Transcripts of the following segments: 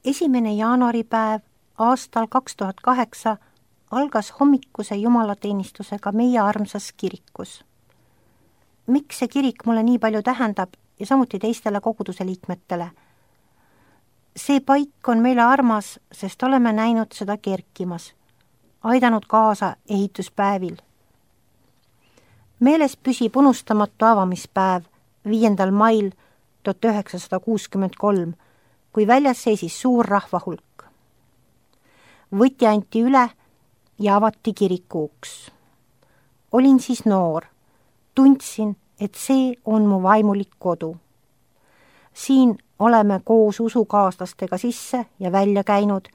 1. jaanuaripäev aastal 2008 algas hommikuse jumalateenistusega meie armsas kirikus. Miks see kirik mulle nii palju tähendab ja samuti teistele koguduse liikmetele? See paik on meile armas, sest oleme näinud seda kerkimas, aidanud kaasa ehituspäevil. Meeles püsib unustamatu avamispäev 5. mail 1963, kui väljas seisis suur rahvahulk. Võti anti üle ja avati kiriku uks. Olin siis noor, tundsin, et see on mu vaimulik kodu. Siin oleme koos usukaaslastega sisse ja välja käinud,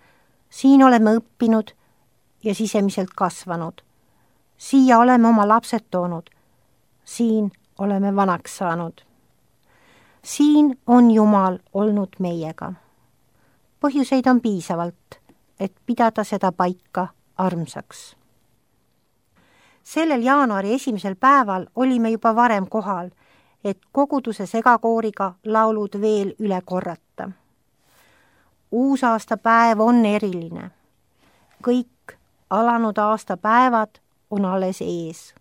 siin oleme õppinud ja sisemiselt kasvanud. Siia oleme oma lapsed toonud, siin oleme vanaks saanud. Siin on Jumal olnud meiega. Põhjuseid on piisavalt, et pidada seda paika armsaks. Sellel jaanuari 1. päeval olime juba varem kohal, et koguduse segakooriga laulud veel üle korrata. Uusaastapäev on eriline. Kõik alanud aastapäevad on alles ees.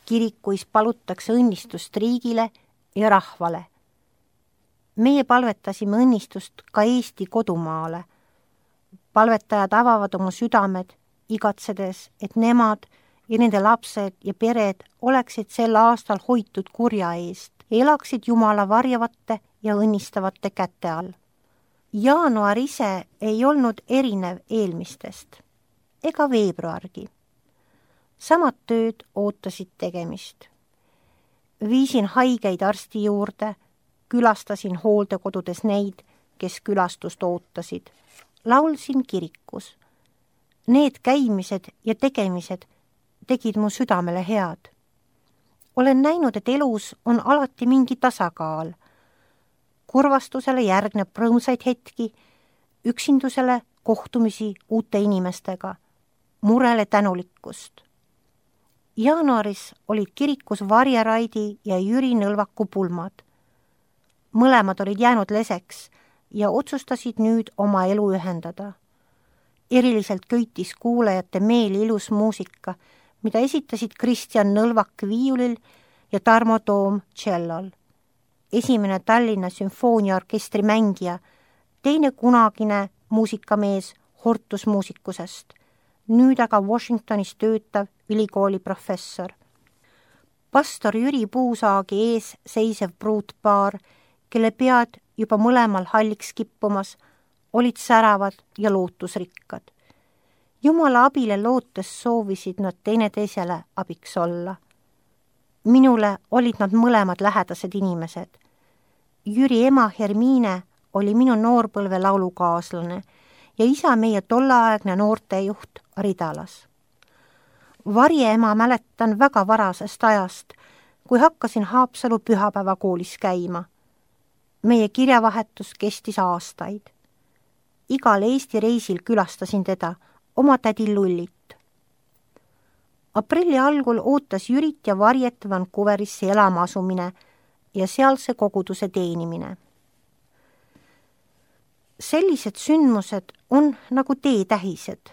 Kirikuis palutakse õnnistust riigile ja rahvale. Meie palvetasime õnnistust ka Eesti kodumaale. Palvetajad avavad oma südamed, igatsedes, et nemad ja nende lapsed ja pered oleksid sel aastal hoitud kurja eest ja elaksid Jumala varjavate ja õnnistavate käte all. Jaanuar ise ei olnud erinev eelmistest, ega veebruargi. Samad tööd ootasid tegemist. Viisin haigeid arsti juurde, külastasin hooldekodudes neid, kes külastust ootasid. Laulsin kirikus. Need käimised ja tegemised tegid mu südamele head. Olen näinud, et elus on alati mingi tasakaal. Kurvastusele järgneb rõõmsaid hetki, üksindusele kohtumisi uute inimestega, murele tänulikkust. Jaanuaris olid kirikus Varje Raidi ja Jüri Nõlvaku pulmad. Mõlemad olid jäänud leseks ja otsustasid nüüd oma elu ühendada. Eriliselt köitis kuulajate meeli ilus muusika, mida esitasid Kristjan Nõlvak viiulil ja Tarmo Toom tšellol. Esimene Tallinna sümfooniaorkestri mängija, teine kunagine muusikamees hortusmuusikusest, nüüd aga Washingtonis töötav ülikooli professor. Pastor Jüri Puusaagi ees seisev pruutpaar, kelle pead juba mõlemal halliks kippumas, olid säravad ja lootusrikkad. Jumala abile lootes soovisid nad teineteisele abiks olla. Minule olid nad mõlemad lähedased inimesed. Jüri ema Hermiine oli minu noorpõlve laulukaaslane ja isa meie tolleaegne noortejuht Ridalas. Varje ema mäletan väga varasest ajast, kui hakkasin Haapsalu pühapäevakoolis käima. Meie kirjavahetus kestis aastaid. Igal Eesti reisil külastasin teda, oma tädi Lullit. Aprilli algul ootas Jürit ja Varjet Vancouverisse elama asumine ja sealse koguduse teenimine. Sellised sündmused on nagu teetähised,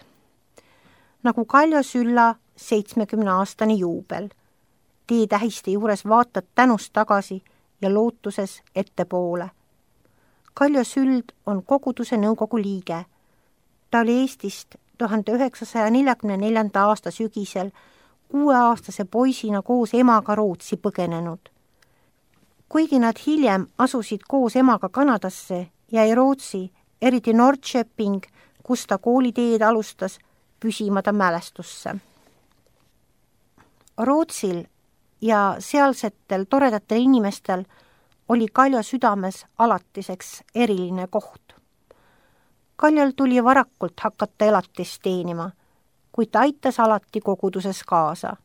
nagu Kaljo Sülla 70-aastane juubel. Teetähiste juures vaatad tänust tagasi ja lootuses ettepoole. Kaljo Süld on koguduse nõukogu liige. Ta oli Eestist 1944. aasta sügisel 6-aastase poisina koos emaga Rootsi põgenenud. Kuigi nad hiljem asusid koos emaga Kanadasse, jäi Rootsi, eriti Norrköping, kus ta kooliteed alustas, püsima ta mälestusse. Rootsil ja sealsetel toredatel inimestel oli Kaljo südames alatiseks eriline koht. Kaljol tuli varakult hakata elatist teenima, kuid ta aitas alati koguduses kaasa.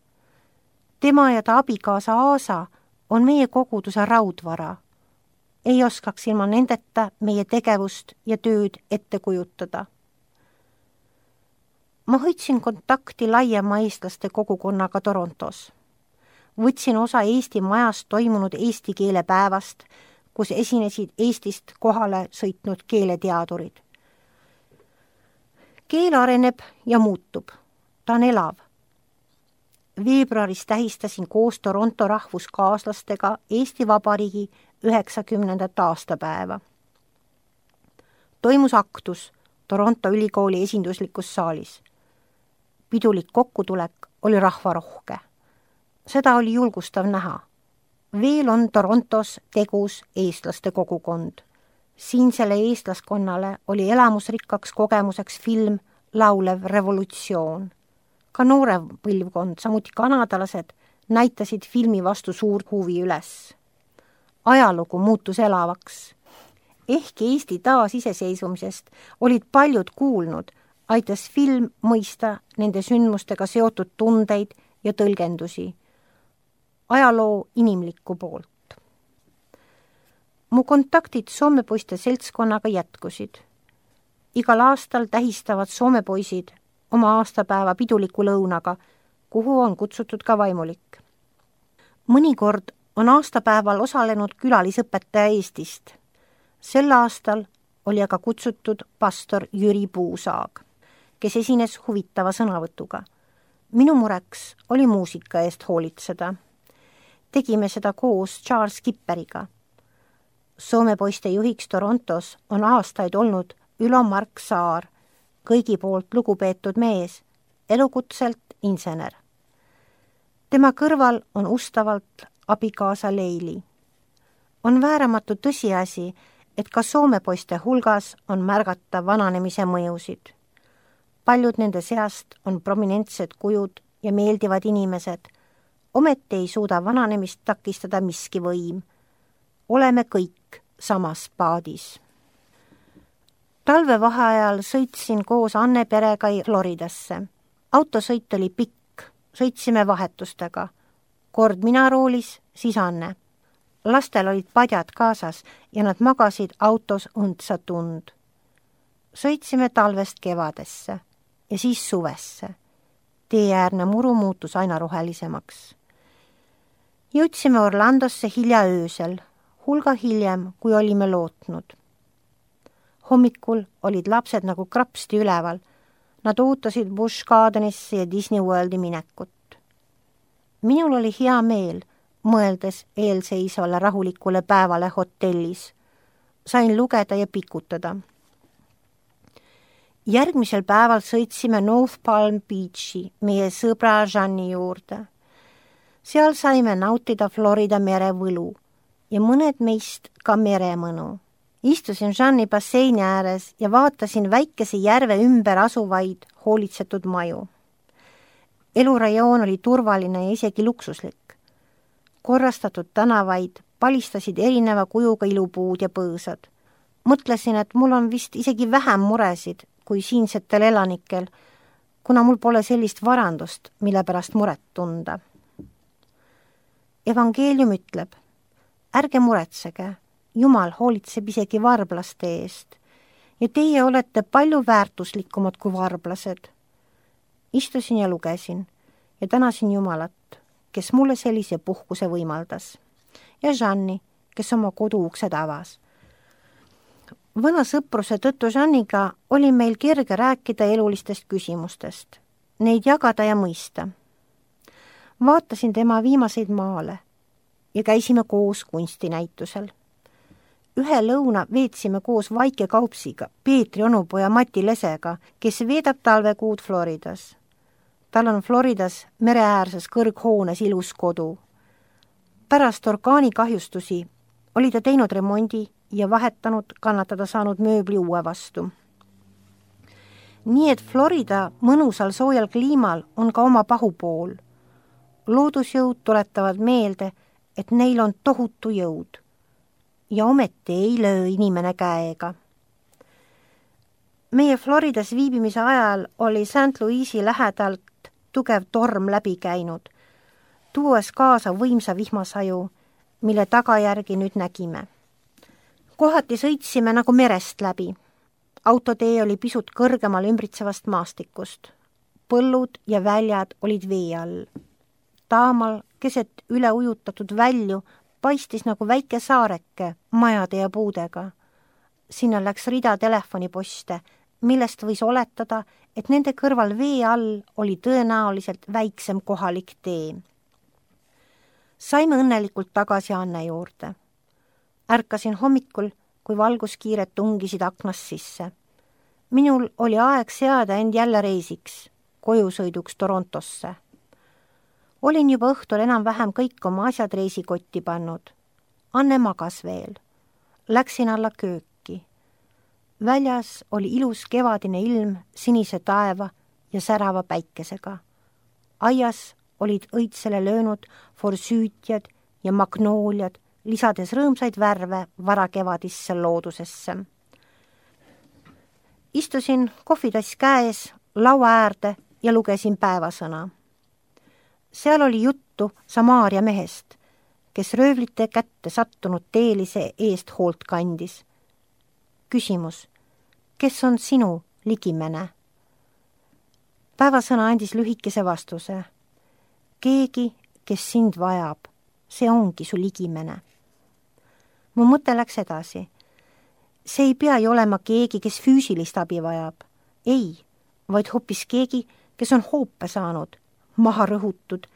Tema ja ta abikaasa Aasa on meie koguduse raudvara. Ei oskaks ilma nendeta meie tegevust ja tööd ette kujutada. Ma hoidsin kontakti laiema eestlaste kogukonnaga Torontos. Võtsin osa Eesti majas toimunud eesti keele päevast, kus esinesid Eestist kohale sõitnud keeleteadurid. Keel areneb ja muutub. Ta on elav. Veebruaris tähistasin koos Toronto rahvuskaaslastega Eesti Vabariigi 90. aastapäeva. Toimus aktus Toronto ülikooli esinduslikus saalis. Pidulik kokkutulek oli rahvarohke. Seda oli julgustav näha. Veel on Torontos tegus eestlaste kogukond. Siinsele eestlaskonnale oli elamusrikkaks kogemuseks film Laulev revolutsioon. Ka noore põlvkond, samuti kanadalased, näitasid filmi vastu suurt huvi üles. Ajalugu muutus elavaks. Ehkki Eesti taasiseseisvumisest olid paljud kuulnud, aitas film mõista nende sündmustega seotud tundeid ja tõlgendusi. Ajaloo inimlikku poolt. Mu kontaktid soomepoiste seltskonnaga jätkusid. Igal aastal tähistavad soomepoisid oma aastapäeva piduliku lõunaga, kuhu on kutsutud ka vaimulik. Mõnikord on aastapäeval osalenud külalisõpetaja Eestist. Sel aastal oli aga kutsutud pastor Jüri Puusaag, kes esines huvitava sõnavõtuga. Minu mureks oli muusika eest hoolitseda. Tegime seda koos Charles Kipperiga. Soomepoiste juhiks Torontos on aastaid olnud Ülo Mark Saar, kõigi poolt lugupeetud mees, elukutselt insener. Tema kõrval on ustavalt abikaasa Leili. On vääramatu tõsiasi, et ka soomepoiste hulgas on märgata vananemise mõjusid. Paljud nende seast on prominentsed kujud ja meeldivad inimesed, ometi ei suuda vananemist takistada miski võim. Oleme kõik samas paadis. Talvevaheajal sõitsin koos Anne perega Floridasse. Autosõit oli pikk, sõitsime vahetustega. Kord mina roolis, siis Anne. Lastel olid padjad kaasas ja nad magasid autos õndsa tund. Sõitsime talvest kevadesse ja siis suvesse. Teeäärne muru muutus aina rohelisemaks. Jõudsime Orlandosse hilja öösel, hulga hiljem, kui olime lootnud. Hommikul olid lapsed nagu krapsti üleval. Nad ootasid Busch Gardenisse ja Disney Worldi minekut. Minul oli hea meel, mõeldes eelseisvale rahulikule päevale hotellis. Sain lugeda ja pikutada. Järgmisel päeval sõitsime North Palm Beachi meie sõbra Jeanni juurde. Seal saime nautida Florida mere võlu ja mõned meist ka meremõnu. Istusin Jeanni basseini ääres ja vaatasin väikese järve ümber asuvaid hoolitsetud maju. Elurajoon oli turvaline ja isegi luksuslik. Korrastatud tänavaid palistasid erineva kujuga ilupuud ja põõsad. Mõtlesin, et mul on vist isegi vähem muresid kui siinsetel elanikel, kuna mul pole sellist varandust, mille pärast muret tunda. Evangeelium ütleb, ärge muretsege, Jumal hoolitseb isegi varblaste eest ja teie olete palju väärtuslikumad kui varblased. Istusin ja lugesin ja tänasin Jumalat, kes mulle sellise puhkuse võimaldas, ja Jeanni, kes oma koduuksed avas. Vana sõpruse tõttu Jeanniga oli meil kerge rääkida elulistest küsimustest, neid jagada ja mõista. Vaatasin tema viimaseid maale ja käisime koos kunstinäitusel. Ühe lõuna veetsime koos Vaike Kaupsiga, Peetri onupoja Mati Lesega, kes veedab talvekuud Floridas. Tal on Floridas mereäärses kõrghoones ilus kodu. Pärast orkaanikahjustusi oli ta teinud remondi ja vahetanud kannatada saanud mööbli uue vastu. Nii et Florida mõnusal soojal kliimal on ka oma pahupool. Loodusjõud tuletavad meelde, et neil on tohutu jõud. Ja ometi ei löö inimene käega. Meie Floridas viibimise ajal oli St. Louisi lähedalt tugev torm läbi käinud, tuues kaasa võimsa vihmasaju, mille tagajärgi nüüd nägime. Kohati sõitsime nagu merest läbi. Autotee oli pisut kõrgemal ümbritsevast maastikust. Põllud ja väljad olid vee all. Taamal keset üle ujutatud välju paistis nagu väike saareke majade ja puudega. Sinna läks rida telefoniposte, millest võis oletada, et nende kõrval vee all oli tõenäoliselt väiksem kohalik tee. Saime õnnelikult tagasi Anne juurde. Ärkasin hommikul, kui valguskiired tungisid aknast sisse. Minul oli aeg seada end jälle reisiks, kojusõiduks Torontosse. Olin juba õhtul enam-vähem kõik oma asjad reisikotti pannud. Anne magas veel. Läksin alla kööki. Väljas oli ilus kevadine ilm sinise taeva ja särava päikesega. Aias olid õitsele löönud forsüütjad ja magnooliad, lisades rõõmsaid värve varakevadisse loodusesse. Istusin kohvitass käes laua äärde ja lugesin päevasõna. Seal oli juttu Samaaria mehest, kes röövlite kätte sattunud teelise eest hoolt kandis. Küsimus, kes on sinu ligimene? Päevasõna andis lühikese vastuse. Keegi, kes sind vajab, see ongi su ligimene. Mu mõte läks edasi. See ei pea ju olema keegi, kes füüsilist abi vajab. Ei, vaid hoopis keegi, kes on hoope saanud, maha rõhutud,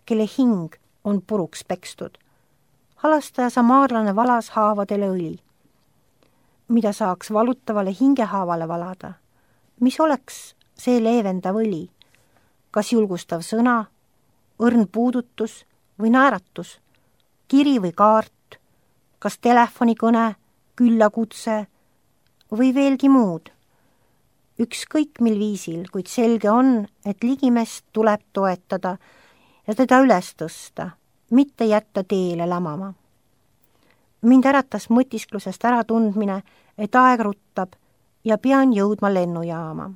kelle hing on puruks pekstud. Halastaja samaarlane valas haavadele õli. Mida saaks valutavale hingehaavale valada? Mis oleks see leevendav õli? Kas julgustav sõna, õrn puudutus või naeratus? Kiri või kaart? Kas telefonikõne, küllakutse või veelgi muud? Ükskõik mil viisil, kuid selge on, et ligimest tuleb toetada ja teda üles tõsta, mitte jätta teele lämama. Mind äratas mõtisklusest äratundmine, et aeg ruttab ja pean jõudma lennujaama.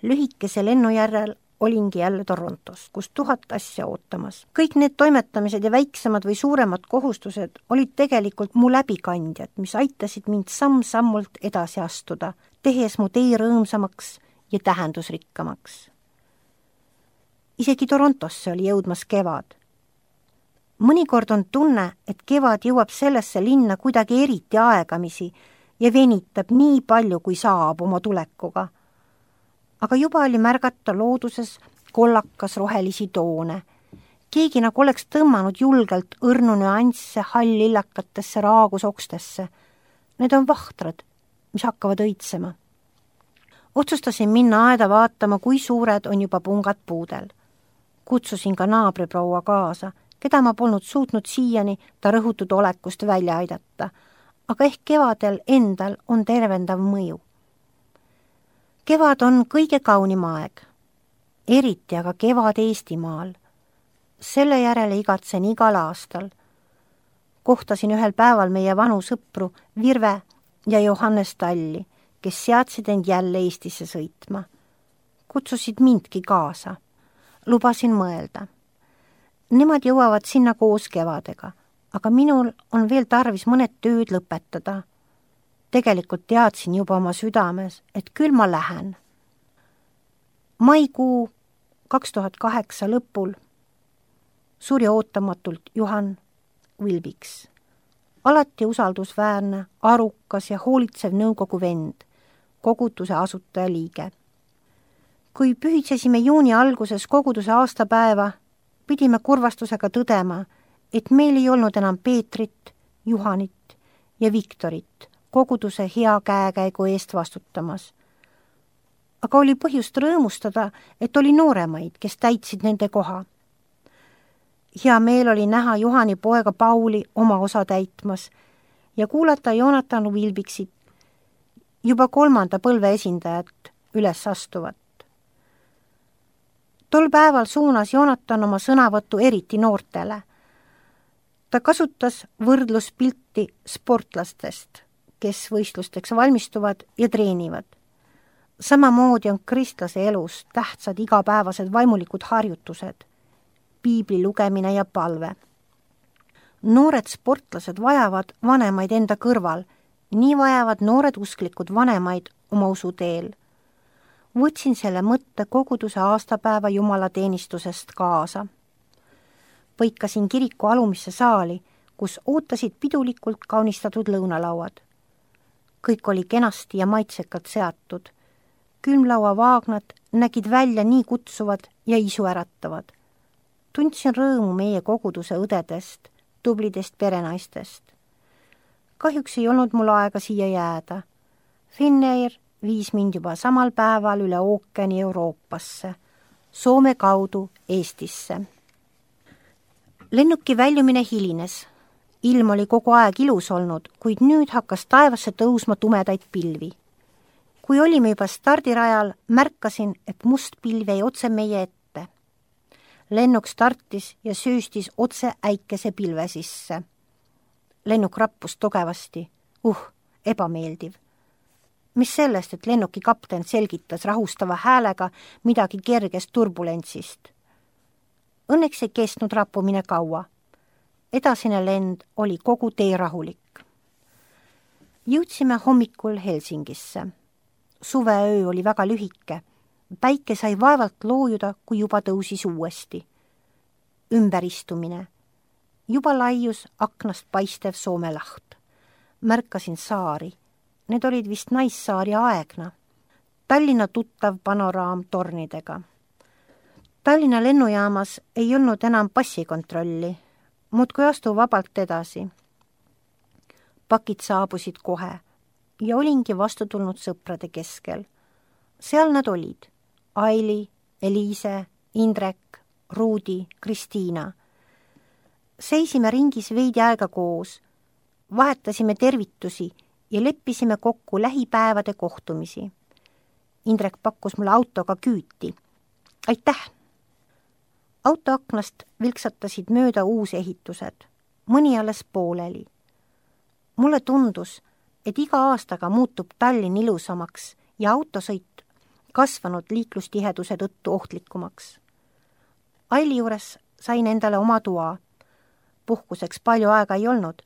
Lühikese lennu järel olingi jälle Torontos, kus 1000 asja ootamas. Kõik need toimetamised ja väiksemad või suuremad kohustused olid tegelikult mu läbikandjad, mis aitasid mind samm-sammult edasi astuda, tehes mu tee rõõmsamaks ja tähendusrikkamaks. Isegi Torontosse oli jõudmas kevad. Mõnikord on tunne, et kevad jõuab sellesse linna kuidagi eriti aegamisi ja venitab nii palju, kui saab oma tulekuga. Aga juba oli märgata looduses kollakas rohelisi toone. Keegi nagu oleks tõmmanud julgelt õrnu nüansse hall-lillakatesse raagusokstesse. Need on vahtrad, mis hakkavad õitsema. Otsustasin minna aeda vaatama, kui suured on juba pungad puudel. Kutsusin ka naabriproua kaasa, keda ma polnud suutnud siiani ta rõhutud olekust välja aidata, aga ehk kevadel endal on tervendav mõju. Kevad on kõige kaunim aeg, eriti aga kevad Eestimaal. Selle järele igatsen igal aastal. Kohtasin ühel päeval meie vanu sõpru Virve ja Johannes Talli, kes seadsid end jälle Eestisse sõitma. Kutsusid mindki kaasa. Lubasin mõelda. Nemad jõuavad sinna koos kevadega, aga minul on veel tarvis mõned tööd lõpetada. Tegelikult teadsin juba oma südames, et küll ma lähen. Maikuu 2008 lõpul suri ootamatult Juhan Vilbiks. Alati usaldusväärne, arukas ja hoolitsev nõukogu vend, koguduse asutaja liige. Kui pühitsesime juuni alguses koguduse aastapäeva, pidime kurvastusega tõdema, et meil ei olnud enam Peetrit, Juhanit ja Viktorit koguduse hea käekäigu eest vastutamas. Aga oli põhjust rõõmustada, et oli nooremaid, kes täitsid nende koha. Hea meel oli näha Juhani poega Pauli oma osa täitmas ja kuulata Jonathan Vilbiksit, juba 3. põlve esindajat, üles astuvat. Tol päeval suunas Jonathan oma sõnavõttu eriti noortele. Ta kasutas võrdluspilti sportlastest, kes võistlusteks valmistuvad ja treenivad. Samamoodi on kristlase elus tähtsad igapäevased vaimulikud harjutused, piibli lugemine ja palve. Noored sportlased vajavad vanemaid enda kõrval, nii vajavad noored usklikud vanemaid oma usuteel. Võtsin selle mõtte koguduse aastapäeva jumalateenistusest kaasa. Põikasin kiriku alumisse saali, kus ootasid pidulikult kaunistatud lõunalauad. kõik oli kenasti ja maitsekalt seatud. Külmlauavaagnad nägid välja nii kutsuvad ja isuäratavad. Tundsin rõõmu meie koguduse õdedest, tublidest perenaistest. Kahjuks ei olnud mul aega siia jääda. Finnair viis mind juba samal päeval üle ookeani Euroopasse, Soome kaudu Eestisse. Lennuki väljumine hilines. Ilm oli kogu aeg ilus olnud, kuid nüüd hakkas taevasse tõusma tumedaid pilvi. Kui olime juba stardirajal, märkasin, et must pilv jäi otse meie ette. Lennuk startis ja sööstis otse äikese pilve sisse. Lennuk rappus tugevasti. Ebameeldiv. Mis sellest, et lennuki kapten selgitas rahustava häälega midagi kergest turbulentsist. Õnneks ei kestnud rappumine kaua. Edasine lend oli kogu tee rahulik. Jõudsime hommikul Helsingisse. Suveöö oli väga lühike. Päike sai vaevalt loojuda, kui juba tõusis uuesti. Ümberistumine. Juba laius aknast paistev Soome laht. Märkasin saari. Need olid vist Naissaari Aegna. Tallinna tuttav panoraam tornidega. Tallinna lennujaamas ei olnud enam passikontrolli. Muudkui astu vabalt edasi. Pakid saabusid kohe ja olingi vastu tulnud sõprade keskel. Seal nad olid. Aili, Eliise, Indrek, Ruudi, Kristiina. Seisime ringis veidi aega koos. Vahetasime tervitusi ja leppisime kokku lähipäevade kohtumisi. Indrek pakkus mulle autoga küüti. Aitäh! Autoaknast vilksatasid mööda uusehitused. Mõni alles pooleli. Mulle tundus, et iga aastaga muutub Tallinn ilusamaks ja autosõit kasvanud liiklustiheduse tõttu ohtlikumaks. Aili juures sain endale oma toa. Puhkuseks palju aega ei olnud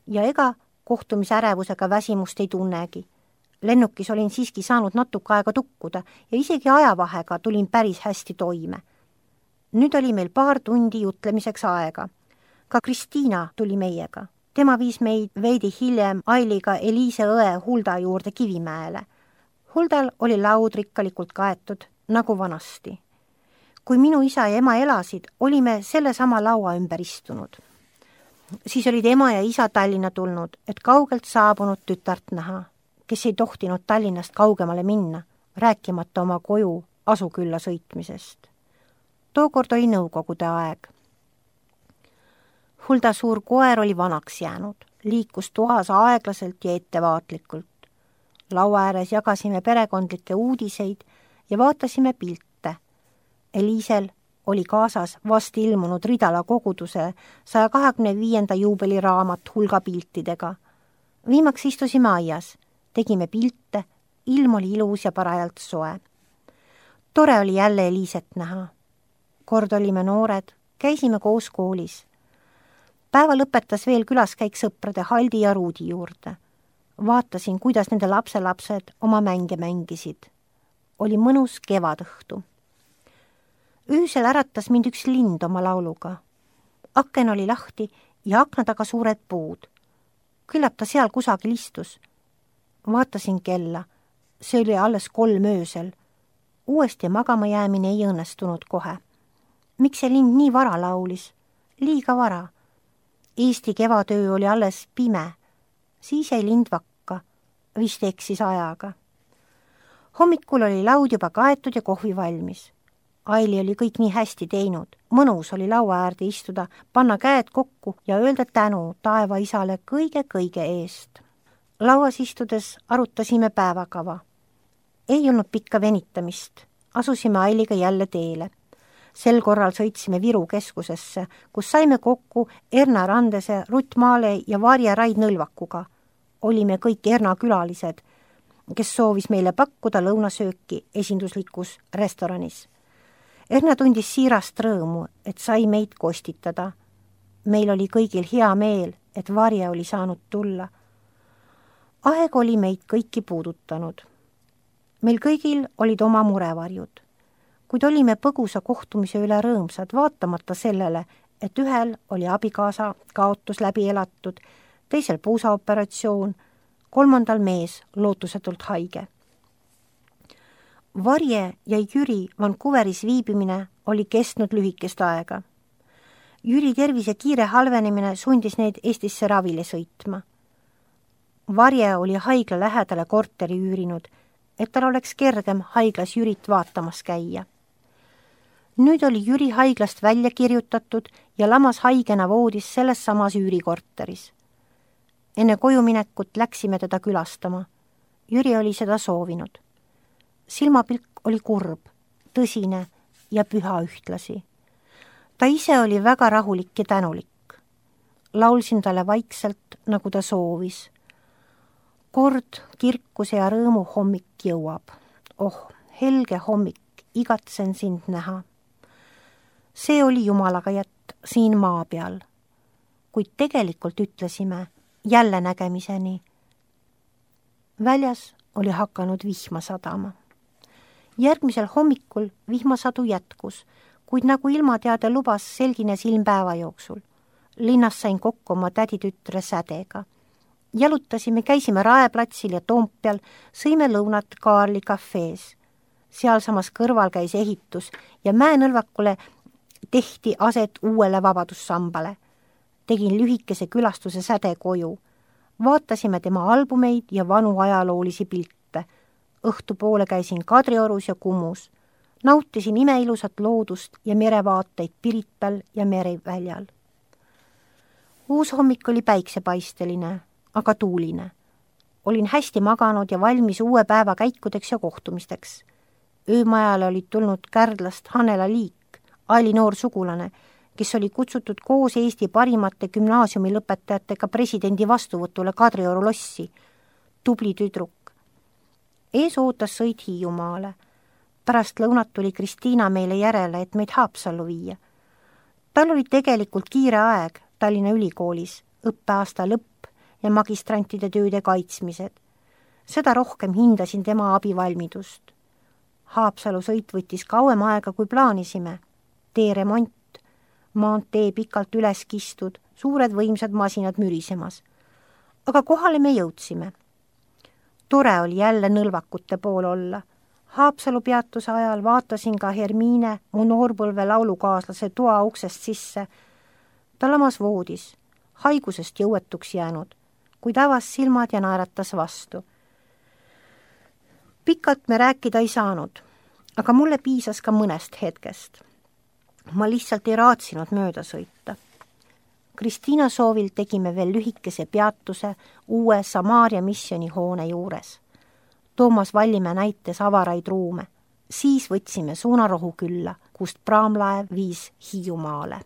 ja ega kohtumisärevusega väsimust ei tunnegi. Lennukis olin siiski saanud natuke aega tukkuda ja isegi ajavahega tulin päris hästi toime. Nüüd oli meil paar tundi jutlemiseks aega. Ka Kristiina tuli meiega. Tema viis meid veidi hiljem Ailiga Eliise õe Hulda juurde Kivimäele. Huldal oli laud rikkalikult kaetud, nagu vanasti. Kui minu isa ja ema elasid, olime selle sama laua ümber istunud. Siis olid ema ja isa Tallinna tulnud, et kaugelt saabunud tütart näha, kes ei tohtinud Tallinnast kaugemale minna, rääkimata oma koju Asukülla sõitmisest. Tookord oli nõukogude aeg. Hulda suur koer oli vanaks jäänud, liikus toas aeglaselt ja ettevaatlikult. Laua ääres jagasime perekondlikke uudiseid ja vaatasime pilte. Eliisel oli kaasas vast ilmunud Ridala koguduse 125. juubeliraamat hulga piltidega. Viimaks istusime aias, tegime pilte, ilm oli ilus ja parajalt soe. Tore oli jälle Eliiset näha. Kord olime noored, käisime koos koolis. Päeva lõpetas veel külaskäik sõprade Haldi ja Ruudi juurde. Vaatasin, kuidas nende lapselapsed oma mänge mängisid. Oli mõnus kevadõhtu. Öösel äratas mind üks lind oma lauluga. Aken oli lahti ja akna taga suured puud. Küllap ta seal kusagil istus. Vaatasin kella. See oli alles 3 öösel. Uuesti magama jäämine ei õnnestunud kohe. Miks see lind nii vara laulis? Liiga vara. Eesti kevadöö oli alles pime. Siis jäi lind vakka. Vist eksis ajaga. Hommikul oli laud juba kaetud ja kohvi valmis. Aili oli kõik nii hästi teinud. Mõnus oli laua äärde istuda, panna käed kokku ja öelda tänu taeva isale kõige eest. Lauas istudes arutasime päevakava. Ei olnud pikka venitamist. Asusime Ailiga jälle teele. Sel korral sõitsime Viru keskusesse, kus saime kokku Erna Randese, Rutt Maale ja Varje Raid Nõlvakuga. Olime kõik Erna külalised, kes soovis meile pakkuda lõunasööki esinduslikus restoranis. Erna tundis siirast rõõmu, et sai meid kostitada. Meil oli kõigil hea meel, et Varje oli saanud tulla. Aeg oli meid kõiki puudutanud. Meil kõigil olid oma murevarjud. Kuid olime põgusa kohtumise üle rõõmsad, vaatamata sellele, et ühel oli abikaasa kaotus läbi elatud, teisel puusaoperatsioon, 3. mees lootusetult haige. Varje ja Jüri Vancouveris viibimine oli kestnud lühikest aega. Jüri tervise kiire halvenemine sundis neid Eestisse ravile sõitma. Varje oli haigla lähedale korteri üürinud, et tal oleks kergem haiglas Jürit vaatamas käia. Nüüd oli Jüri haiglast välja kirjutatud ja lamas haigena voodis selles samas üürikorteris. Enne kojuminekut läksime teda külastama. Jüri oli seda soovinud. Silmapilk oli kurb, tõsine ja püha ühtlasi. Ta ise oli väga rahulik ja tänulik. Laulsin talle vaikselt, nagu ta soovis. Kord kirkuse ja rõõmu hommik jõuab. Oh, helge hommik, igatsen sind näha. See oli Jumalaga jätt siin maa peal. Kuid tegelikult ütlesime jälle nägemiseni. Väljas oli hakanud vihma sadama. Järgmisel hommikul vihmasadu jätkus, kuid nagu ilmateade lubas, selgines ilm päeva jooksul. Linnas sain kokku oma täditütre Sädega. Jalutasime, käisime Raeplatsil ja Toompeal, sõime lõunat Kaarli kafees. Sealsamas kõrval käis ehitus ja Mäenõlvakule tehti aset uuele vabadussambale. Tegin lühikese külastuse Säde koju. Vaatasime tema albumeid ja vanu ajaloolisi pilte. Õhtupoole käisin Kadriorus ja Kumus. Nautisin imeilusat loodust ja merevaateid Pirital ja mereväljal. Uus hommik oli päiksepaisteline, aga tuuline. Olin hästi maganud ja valmis uue päeva käikudeks ja kohtumisteks. Öömajale olid tulnud Kärdlast Hanela Liik, Aili noor sugulane, kes oli kutsutud koos Eesti parimate gümnaasiumi lõpetajatega presidendi vastuvõtule Kadrioru lossi. Tubli tüdruk. Ees ootas sõit Hiiumaale. Pärast lõunat tuli Kristiina meile järele, et meid Haapsallu viia. Tal oli tegelikult kiire aeg Tallinna Ülikoolis, õppeaasta lõpp ja magistrantide tööde kaitsmised. Seda rohkem hindasin tema abivalmidust. Haapsalu sõit võttis kauem aega, kui plaanisime. Teeremont, maantee pikalt üles kistud, suured võimsad masinad mürisemas. Aga kohale me jõudsime. Tore oli jälle Nõlvakute pool olla. Haapsalu peatuse ajal vaatasin ka Hermiine, mu noorpõlve laulukaaslase toa uksest sisse. Ta lamas voodis, haigusest jõuetuks jäänud, kuid avas silmad ja naeratas vastu. Pikalt me rääkida ei saanud, aga mulle piisas ka mõnest hetkest. Ma lihtsalt ei raatsinud mööda sõita. Kristiina soovil tegime veel lühikese peatuse uue Samaaria missioni hoone juures. Toomas Vallimäe näitas avaraid ruume. Siis võtsime suunarohu külla, kust praamlaev viis Hiiumaale.